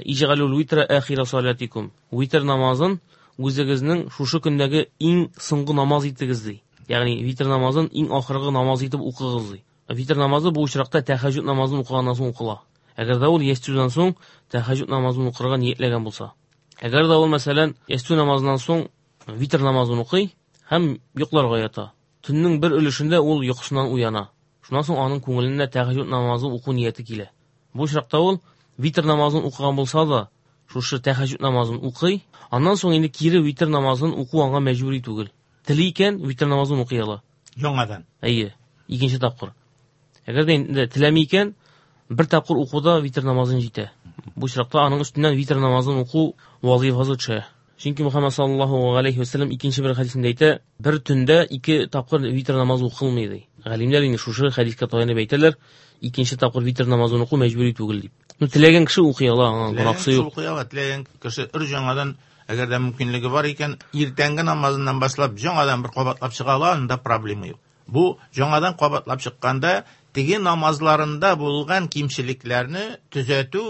"Иҗгалул витра ахира салатикум." Витр намазын үзегезнең шушы көндәге иң соңгы намаз итегез ди. Ягъни витр намазын иң ахыргы намаз итеп укыгыз ди. Витр намазы бу очракта тәһәҗҗүд намазын укыганнан соң укыла. Әгәр дә ул ястүдән соң тәһәҗҗүд намазын укырга ниятләгән булса. Әгәр дә ул, мәсәлән, ястү намазыннан соң витр намазын укый һәм йокларга ята. Төннең бер өлешендә ул йокысыннан уяна. Шуннан соң аның күңеленә тәһәҗҗүд намазы уку нияте килә. Бу очракта ул витр намазын укыган булса да, шушы тәһәҗҗүд намазын укый, аннан соң инде кире витр намазын уку аңа мәҗбүри түгел. Тели икән, витр намазын укый ала. Яңадан. Әйе, икенче тапкыр. Әгәр дә инде теләми икән, бер тапкыр укуда витр намазын җитә. Бу очракта аның өстеннән витр намазын уку вазифасы төшә. Чөнки Мөхәммәд саллаллаһу алейхи ва сәлләм икенче бер хәдисендә әйтә, бер төндә ике тапкыр витр намазы укылмый ди. Галимнәр инде шушы хәдискә таянып әйтәләр, икенче тапкыр витр намазын уку мәҗбүри түгел дип. Ну, теләгән кеше укый ала, аңа гөнаһсы юк. Укый ала, теләгән кеше өр яңадан, әгәр дә мөмкинлеге бар икән, иртәнге намазыннан башлап яңадан бер кабатлап чыга ала, анда проблема юк. Бу яңадан кабатлап чыкканда теге намазларында булган кимчелекләрне төзәтү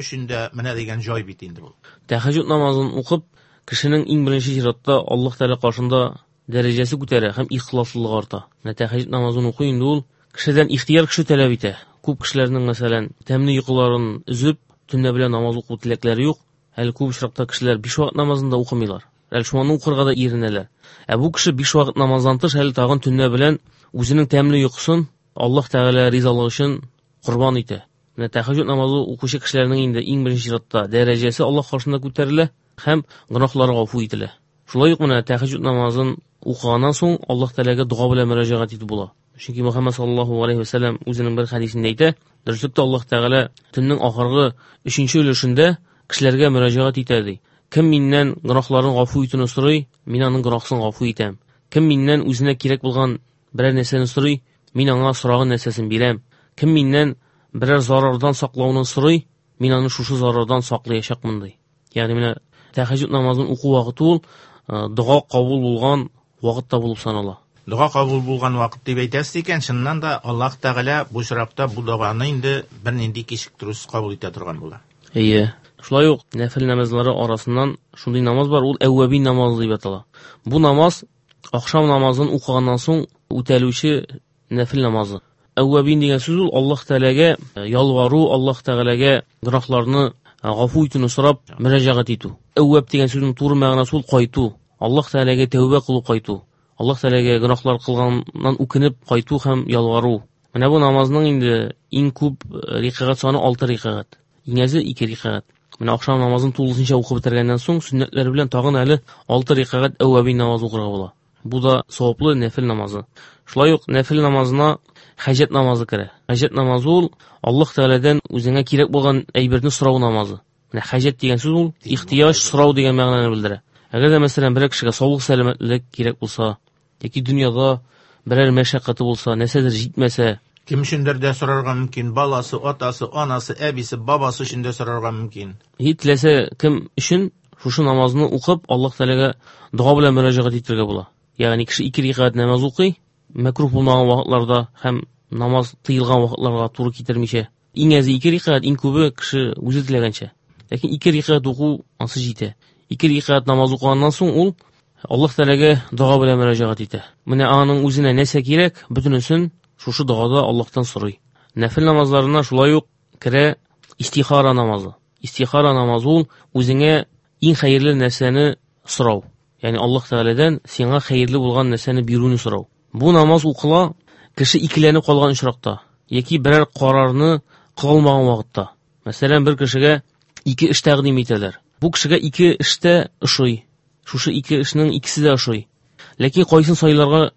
өчен дә менә дигән җай бит инде бу. Тәһәҗҗүд намазын укып, кешенең иң беренче чиратта Аллаһ Тәгалә каршында дәрәҗәсе күтәрә һәм ихласлылыгы арта. Менә тәһәҗҗүд намазын уку инде ул кешедән ихтыяр көче таләп итә. Күп кешеләрнең, мәсәлән, тәмле йокыларын өзеп, төнлә белән намаз уку теләкләре юк. Әле күп очракта кешеләр 5 вакыт намазын да укымыйлар. Әле шуны укырга да иренәләр. Ә бу кеше 5 вакыт намаздан тыш әле тагын төнлә белән үзенең тәмле йокысын Аллаһ Тәгалә ризалыгы өчен корбан итә. Менә тәһәҗҗүд намазы укучы кешеләрнең инде иң беренче чиратта дәрәҗәсе Аллаһ каршында күтәрелә һәм гөнаһлары гафу ителә. Шулай ук менә тәһәҗҗүд намазын укыганнан соң Аллаһ Тәгаләгә дога белән мөрәҗәгать итеп була. Чөнки Мөхәммәд саллаллаһу алейһи ва сәлләм үзенең бер хәдисендә әйтә, дөреслектә Аллаһ Тәгалә төннең ахыргы өченче өлешендә кешеләргә мөрәҗәгать итә ди. Кем миннән гөнаһларын гафу итүне сорый, мин аның гөнаһсын гафу итәм. Кем миннән үзенә кирәк булган берәр нәрсәне сорый, мин аңа сораган нәрсәсен бирәм. Кем миннән берәр зарардан саклауны сорый, мин аны шушы зарардан саклаячакмын ди. Ягъни менә тәһәҗҗүд намазын уку вакыты ул дога кабул булган вакыт та булып санала. Дога кабул булган вакыт дип әйтәсез икән, чыннан да Аллаһ Тәгалә бу очракта бу доганы инде бернинди кичектерүсез кабул итә торган була. Әйе. Шулай ук нәфел намазлары арасыннан шундый намаз бар, ул әүвәбин намазы дип атала. Бу намаз ахшам намазын укыганнан соң үтәлүче нәфел намазы. Әүвәбин дигән сүз ул Аллаһ Тәгаләгә ялвару, Аллаһ Тәгаләгә гөнаһларны гафу итүне сорап мөрәҗәгать итү. Әүвәб дигән сүзнең туры мәгънәсе ул кайту. Аллаһ Тәгаләгә тәүбә кылу кайту. Аллаһ Тәгаләгә гөнаһлар кылганнан үкенеп кайту һәм ялвару. Менә бу намазның инде иң күп рикәгать саны 6 рикәгать. Иң әзе 2 рикәгать. Менә ахшам намазын тулысынча укып бетергәннән соң сөннәтләр белән тагын әле 6 рикәгать әүвәбин намазы укырга була. Бу да саваплы нәфил намазы. Шулай ук нәфил намазына хаҗәт намазы керә. Хаҗәт намазы ул Аллаһ Тәгаләдән үзеңә кирәк булган әйберне сорау намазы. Менә хаҗәт дигән сүз ул ихтыяҗ, сорау дигән мәгънәне белдерә. Әгәр дә мәсәлән берәр кешегә саулык, сәламәтлек кирәк булса, яки дөньяда берәр мәшәкате булса, нәрсәдер җитмәсә, Кем өчендер дә сорарга мөмкин, баласы, атасы, анасы, әбисе, бабасы өчен дә сорарга мөмкин. Һич теләсә кем өчен шушы намазны укып, Аллаһ Тәгаләгә дога белән мөрәҗәгать итәргә була. Ягъни кеше 2 рикәгать намаз укый, мәкруһ булмаган вакытларда һәм намаз тыелган вакытларга туры китермичә. Иң әзе 2 рикәгать, иң күбе кеше үзе теләгәнчә. Ләкин 2 рикәгать уку ансы җитә. 2 рикәгать намаз укыганнан соң ул Аллаһ Тәгаләгә дога белән мөрәҗәгать итә. Менә аның үзенә нәрсә кирәк, бөтенесен шушы догада Аллаһтан сорый. Нәфил намазларына шулай ук керә истихара намазы. Истихара намазы ул үзеңә иң хәерле нәрсәне сорау. Ягъни Аллаһ Тәгаләдән сиңа хәерле булган нәрсәне бирүне сорау. Бу намаз укыла кеше икеләнеп калган очракта яки берәр карарны кыла алмаган вакытта. Мәсәлән, бер кешегә ике эш тәкъдим итәләр. Бу кешегә ике эш тә ошый. Шушы ике эшнең икесе дә ошый. Ләкин кайсын сайларга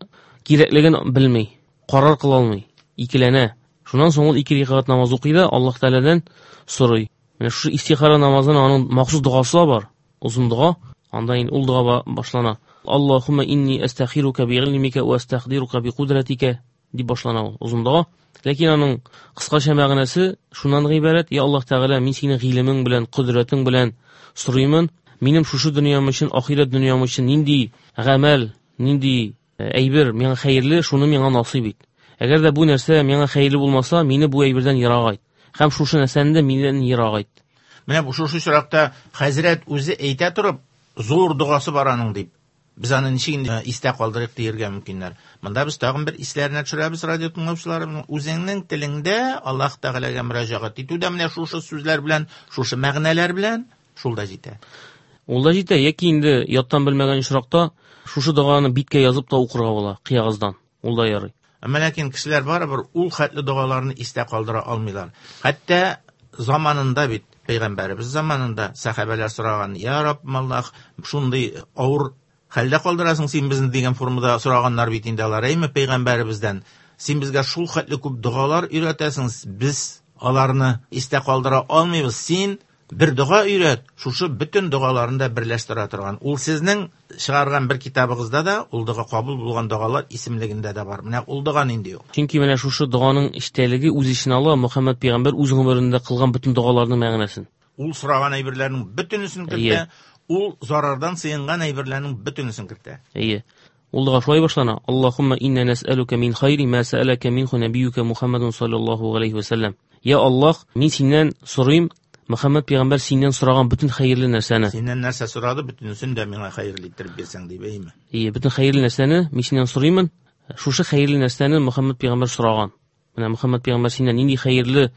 кирәклеген белми, карар кыла алмый, икеләнә. Шуннан соң ул ике рикәгать намаз укый да Аллаһ Тәгаләдән сорый. Менә шушы истихара намазының аның махсус догасы бар, озын дога. Анда инде ул дога башлана. Аллаһумма инни астахирука би илмика ва астахдирука би кудратика дип башлана ул озын дога. Ләкин аның кыскача мәгънәсе шуннан гыйбарәт: Я Аллаһ Тәгалә, мин синең гыйлемең белән, кодрәтең белән сорыймын. Минем шушы дөньям өчен, ахирәт дөньям өчен нинди гамәл, нинди әйбер миңа хәерле, шуны миңа насыйп ит. Әгәр дә бу нәрсә миңа хәерле булмаса, мине бу әйбердән ерак айт. Һәм шушы нәрсәне дә миннән ерак айт. Менә бу шушы очракта хәзрәт үзе әйтә торып, зур догасы бар аның дип. Без аны ничек инде истә калдырыйк диергә мөмкиннәр. Монда без тагын бер исләренә төшерәбез радио тыңлаучыларыбызның. Үзеңнең телеңдә Аллаһ Тәгаләгә мөрәҗәгать итү дә менә шушы сүзләр белән, шушы мәгънәләр белән шул да җитә. Ул да җитә, яки инде яттан белмәгән очракта шушы доганы биткә язып та укырга була, кыягыздан. Ул да ярый. Әмма ләкин кешеләр барыбер ул хәтле догаларны истә калдыра алмыйлар. Хәтта заманында бит, пәйгамбәребез заманында сәхабәләр сораган: "Я Раббым Аллаһ, шундый авыр хәлдә калдырасың син безне" дигән формада сораганнар бит инде алар, әйме, пәйгамбәребездән. Син безгә шул хәтле күп догалар өйрәтәсең, без аларны истә калдыра алмыйбыз. Син бер дога өйрәт, шушы бөтен догаларны да берләштерә торган. Ул сезнең чыгарган бер китабыгызда да ул дога кабул булган догалар исемлегендә дә бар. Менә ул дога нинди ул? Чөнки менә шушы доганың эчтәлеге үз эченә ала Мөхәммәд пәйгамбәр үз гомерендә кылган бөтен догаларның мәгънәсен. Ул сораган әйберләрнең бөтенесен кертә, ул зарардан сыенган әйберләрнең бөтенесен кертә. Әйе. Ул дога шулай башлана: Аллаһумма инна нас'алука мин хайри ма сәалака минху набиюка Мухаммадун саллаллаһу алейхи ва саллям. Я Аллаһ, мин синнән сорыйм, Мөхәммәд пәйгамбәр синнән сораган бөтен хәерле нәрсәне. Синнән нәрсә сорады, бөтенесен дә миңа хәерле иттереп бирсәң дип, әйме? Әйе, бөтен хәерле нәрсәне мин синнән сорыймын. Шушы хәерле нәрсәне Мөхәммәд пәйгамбәр сораган. Менә Мөхәммәд пәйгамбәр синнән нинди хәерле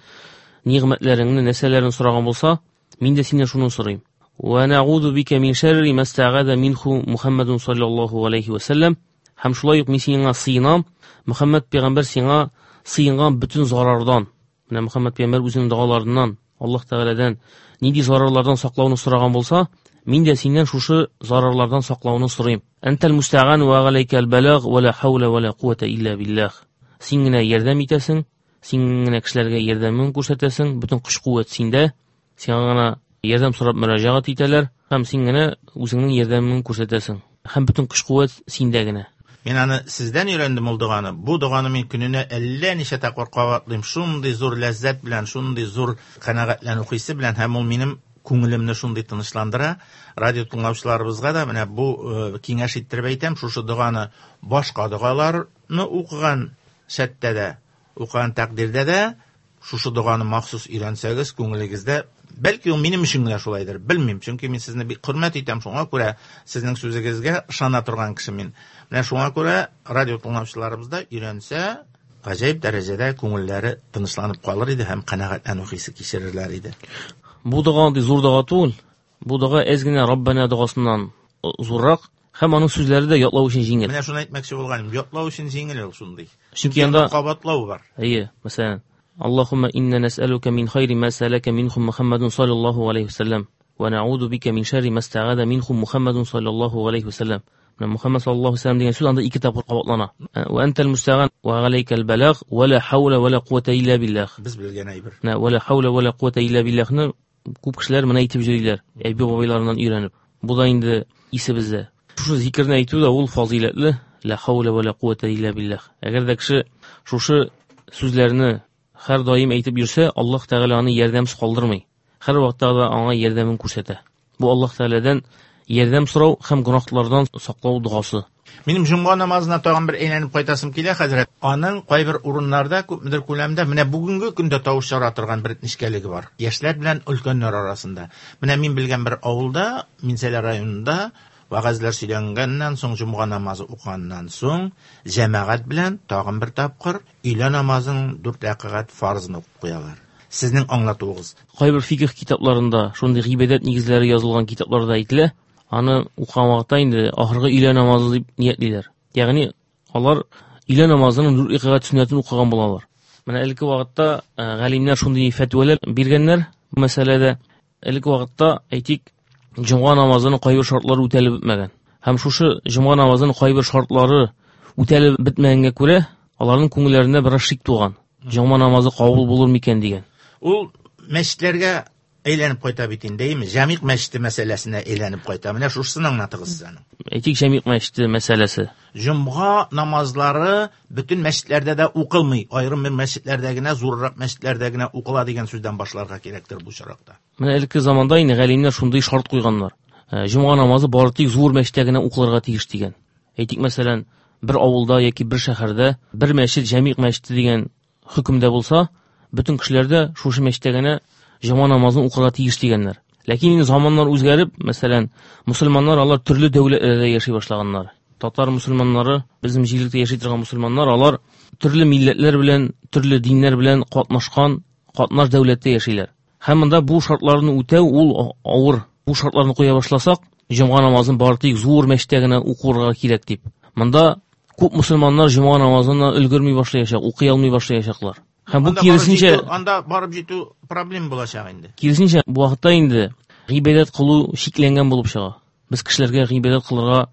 нигъмәтләреңне, нәрсәләрен сораган булса, мин дә синнән шуны сорыйм. Ва нәгуду бика мин шәрри ма стәгаза минху Мухаммадун саллаллаһу алейхи ва саллям. Һәм шулай ук мин сиңа сыенам, Мөхәммәд пәйгамбәр сиңа сыенган бөтен зарардан. Менә Мөхәммәд пәйгамбәр үзенең догаларыннан, Аллаһ Тәгаләдән нинди зарарлардан саклауны сораган булса, мин дә синнән шушы зарарлардан саклауны сорыйм. Әнтәл мустәган ва галәйкәл балаг ва ла хаула ва ла куата илля биллах. Син генә ярдәм итәсең, син генә кешеләргә ярдәмең күрсәтәсең, бөтен көч-куәт синдә. Сиңа гына ярдәм сорап мөрәҗәгать итәләр һәм син генә үзеңнең ярдәмеңне күрсәтәсең. Һәм бөтен көч-куәт синдә генә. Мин аны сездән өйрәндем ул доганы. Бу доганы мин көненә әллә ничә тапкыр кабатлыйм. Шундый зур ләззәт белән, шундый зур канәгатьләнү хисе белән һәм ул минем күңелемне шундый тынычландыра. Радио тыңлаучыларыбызга да менә бу киңәш иттереп әйтәм, шушы доганы башка догаларны укыган шәттә дә, укыган тәкъдирдә дә шушы доганы махсус өйрәнсәгез, күңелегездә, бәлки ул минем өчен генә шулайдыр, белмим, чөнки мин сезне бик хөрмәт итәм, шуңа күрә сезнең сүзегезгә ышана торган кеше мин. Менә шуңа күрә радио тыңлаучыларыбыз да өйрәнсә, гаҗәеп дәрәҗәдә күңелләре тынычланып калыр иде һәм канәгатьләнү хисе кичерерләр иде. Бу дога андый зур дога түгел. Бу дога әз генә Раббана догасыннан зуррак һәм аның сүзләре дә ятлау өчен җиңел. Менә шуны әйтмәкче булганым, ятлау өчен җиңел ул шундый. Чөнки анда кабатлау бар. Әйе, мәсәлән, Аллаһумма инна нас'алука мин хайри ма сәләкә минху Мухаммадун саллаллаһу алейхи ва саллям ва нa'уду бика мин шарри ма стагада минху Мухаммадун саллаллаһу алейхи ва саллям. Менә Мухаммад саллаллаһу алейхи ва саллям дигән сүз анда ике тапкыр кабатлана. Ва антал мустаган ва алейкал балаг ва ла хаула ва ла куата илля биллах. Без белгән әйбер. Менә ва ла хаула ва ла куата илля биллахны күп кешеләр менә әйтеп йөриләр, әби бабайларыннан өйрәнеп. Бу да инде исебездә. Шушы зикерне әйтү дә ул фазыйләтле, ла хаула ва ла куата илля биллах. Әгәр дә кеше шушы сүзләрне һәр даим әйтеп йөрсә, Аллаһ Тәгалә аны ярдәмсез калдырмый. Һәр вакытта да аңа ярдәмен күрсәтә. Бу Аллаһ Тәгаләдән ярдәм сорау һәм гөнаһлардан саклау догасы. Минем җомга намазына тагын бер әйләнеп кайтасым килә, хәзрәт. Аның кайбер урыннарда күпмедер күләмдә менә бүгенге көндә тавыш чыгара торган бер нечкәлеге бар. Яшьләр белән өлкәннәр арасында. Менә мин белгән бер авылда, Минзәлә районында вәгазьләр сөйләнгәннән соң, җомга намазы укыганнан соң, җәмәгать белән тагын бер тапкыр өйлә намазының 4 рәкәгать фарызын укып куялар. Сезнең аңлатуыгыз. Кайбер фикх китапларында шундый гыйбадәт нигезләре язылган китапларда әйтелә. Аны укыган вакытта инде ахыргы өйлә намазы дип ниятлиләр. Ягъни алар өйлә намазының 4 рәкәгать сөннәтен укыган булалар. Менә элекке вакытта галимнәр шундый фәтвәләр биргәннәр бу мәсьәләдә. Элекке вакытта, әйтик, җомга намазының кайбер шартлары үтәлеп бетмәгән. Һәм шушы җомга намазының кайбер шартлары үтәлеп бетмәгәнгә күрә, аларның күңелләрендә бераз шик туган. Җомга намазы кабул булыр микән дигән. Ул мәчетләргә әйләнеп кайта бит инде, әйеме? Җәмигъ мәчете мәсьәләсенә әйләнеп кайта. Менә шушысын аңлатыгыз сез аның. Әйтик, җәмигъ мәчете мәсьәләсе. Җомга намазлары бөтен мәчетләрдә дә укылмый. Аерым бер мәчетләрдә генә, зуррак мәчетләрдә генә укыла дигән сүздән башларга кирәктер бу очракта. Менә элекке заманда инде галимнәр шундый шарт куйганнар. Җомга намазы бары тик зур мәчеттә генә укылырга тиеш дигән. Әйтик, мәсәлән, бер авылда яки бер шәһәрдә бер мәчет җәмигъ мәчете дигән хөкемдә булса, бөтен кешеләр дә шушы мәчеттә генә җомга намазын укырга тиеш дигәннәр. Ләкин инде заманнар үзгәреп, мәсәлән, мусульманнар алар төрле дәүләтләрдә яши башлаганнар. Татар мусульманнары, безнең җирлектә яши торган мусульманнар, алар төрле милләтләр белән, төрле диннәр белән катнашкан, катнаш дәүләттә яшиләр. Һәм монда бу шартларны үтәү ул авыр. Бу шартларны куя башласак, җомга намазын бары тик зур мәчеттә генә укырга кирәк дип. Монда күп мусульманнар җомга намазына өлгерми башлаячак, укый алмый башлаячаклар. Һәм бу киресенчә анда барып җитү проблем булачак инде. Киресенчә, бу вакытта инде гыйбадәт кылу чикләнгән булып чыга. Без кешеләргә гыйбадәт кылырга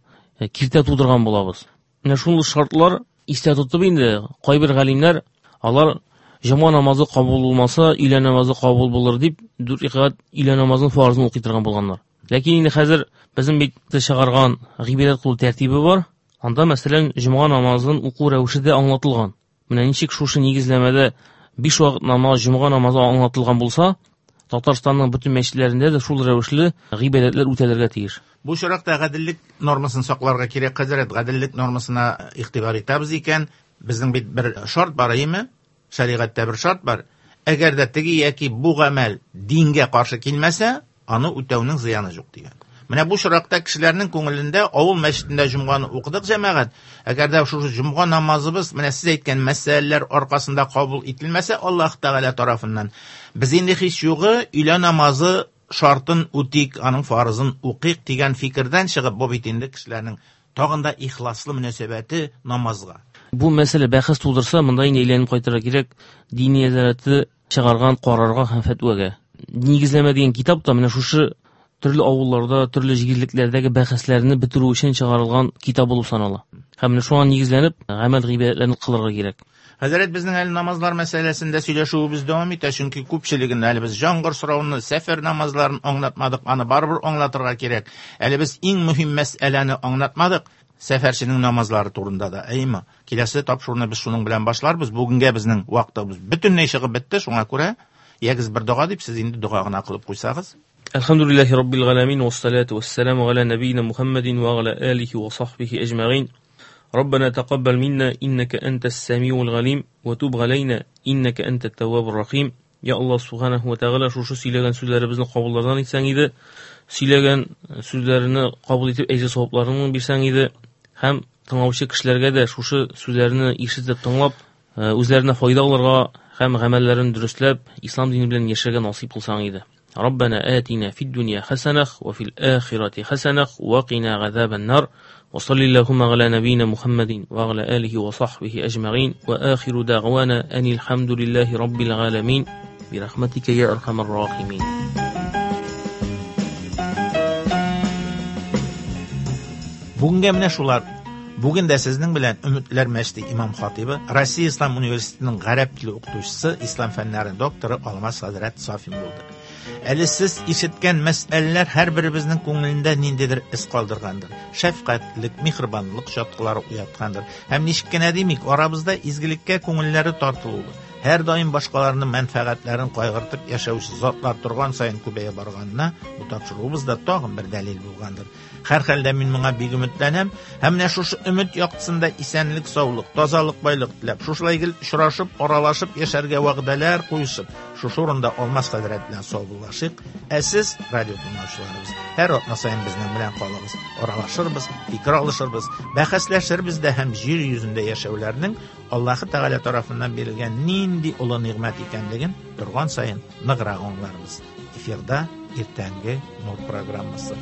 киртә тудырган булабыз. Менә шул шартлар истә тотып инде кайбер галимнәр алар җомга намазы кабул булмаса, өйлә намазы кабул булыр дип 4 рәкәгать өйлә намазының фарызын укый торган булганнар. Ләкин инде хәзер безнең бит чыгарган гыйбадәт кылу тәртибе бар. Анда, мәсәлән, җомга намазын уку рәвеше дә аңлатылган. Менә ничек шушы нигезләмәдә 5 вакыт намаз, җомга намазы аңлатылган булса, Татарстанның бөтен мәчетләрендә дә шул рәвешле гыйбадәтләр үтәлергә тиеш. Бу очракта гаделлек нормасын сакларга кирәк, хәзрәт. Гаделлек нормасына игътибар итәбез икән, безнең бит бер шарт бар, әйеме? Шәригатьтә бер шарт бар. Әгәр дә теге яки бу гамәл дингә каршы килмәсә, аны үтәүнең зыяны юк дигән. Менә бу очракта кешеләрнең күңелендә авыл мәчетендә җомганы укыдык җәмәгать. Әгәр дә шушы җомга намазыбыз менә сез әйткән мәсьәләләр аркасында кабул ителмәсә Аллаһ Тәгалә тарафыннан, без инде һич югы өйлә намазы шартын үтик, аның фарызын укыйк дигән фикердән чыгып, бу бит инде кешеләрнең тагын да ихласлы мөнәсәбәте намазга. Бу мәсьәлә бәхәс тудырса, монда инде әйләнеп кайтырга кирәк дини нәзарәте чыгарган карарга һәм фәтвәгә. Нигезләмә дигән китап та менә шушы төрле авылларда, төрле җирлекләрдәге бәхәсләрне бетерү өчен чыгарылган китап булып санала. Һәм менә шуңа нигезләнеп, гамәл гыйбадәтләрне кылырга кирәк. Хәзрәт, безнең әле намазлар мәсьәләсендә сөйләшүебез дәвам итә, чөнки күпчелеген әле без җаңгыр сорауны, сәфәр намазларын аңлатмадык, аны барыбер аңлатырга кирәк. Әле без иң мөһим мәсьәләне аңлатмадык, сәфәрченең намазлары турында да. Әйеме? Киләсе тапшыруны без шуның белән башларбыз. Бүгенгә безнең вакытыбыз бөтенләй чыгып бетте, шуңа күрә ягез бер дога дип сез инде дога гына кылып куйсагыз. Әлхәмдүлилләһи раббил галәмин вассалату вассаламу аля нәбиина Мухаммадин ва аля алихи ва сахбихи әҗмәгин. ربنا تقبل منا إنك أنت السميع العليم وتب علينا إنك أنت التواب الرحيم. Я Аллаһ субханаху ва тәгалә, шушы сөйләгән сүзләребезне кабуллардан итсәң иде, сөйләгән сүзләрне кабул итеп әҗер савапларыңны бирсәң иде һәм тыңлаучы кешеләргә дә шушы сүзләрне ишетеп тыңлап, үзләренә файда алырга һәм гамәлләрен дөресләп, ислам дине белән яшәргә насыйп кылсаң иде. ربنا آتنا في الدنيا حسنة وفي الآخرة حسنة وقنا عذاب النار وصل اللهم على نبينا محمد وعلى آله وصحبه أجمعين وآخر دعوانا أن الحمد لله رب العالمين برحمتك يا أرحم الراحمين. Бүгенгә менә шулар. Бүген дә сезнең белән Өметләр мәчете имам хатибы, Россия Ислам университетының гарәп теле укытучысы, ислам фәннәре докторы Алмаз хәзрәт Сафин булды. Әле сез ишеткән мәсьәләләр һәрберебезнең күңелендә ниндидер эз калдыргандыр. Шәфкатьлек, миһербанлык чаткылары уяткандыр. Һәм ничек кенә димик, арабызда изгелеккә күңелләре тартылуы, һәр даим башкаларның мәнфәгатьләрен кайгыртып яшәүче затлар торган саен күбәя барганына бу тапшыруыбыз да тагын бер дәлил булгандыр. Һәр хәлдә мин моңа бик өметләнәм һәм менә шушы өмет яктысында исәнлек, саулык, тазалык, байлык теләп, шушылай гел очрашып, аралашып яшәргә вәгъдәләр куешып, шушы урында Алмаз хәзрәт белән саубуллашыйк. Ә сез, радио тыңлаучыларыбыз, һәр атна саен безнең белән калыгыз, аралашырбыз, фикер алышырбыз, бәхәсләшербез дә һәм җир йөзендә яшәүләрнең Аллаһы Тәгалә тарафыннан бирелгән нинди олы нигъмәт икәнлеген торган саен ныграк аңларбыз. Эфирда иртәнге Нур программасы.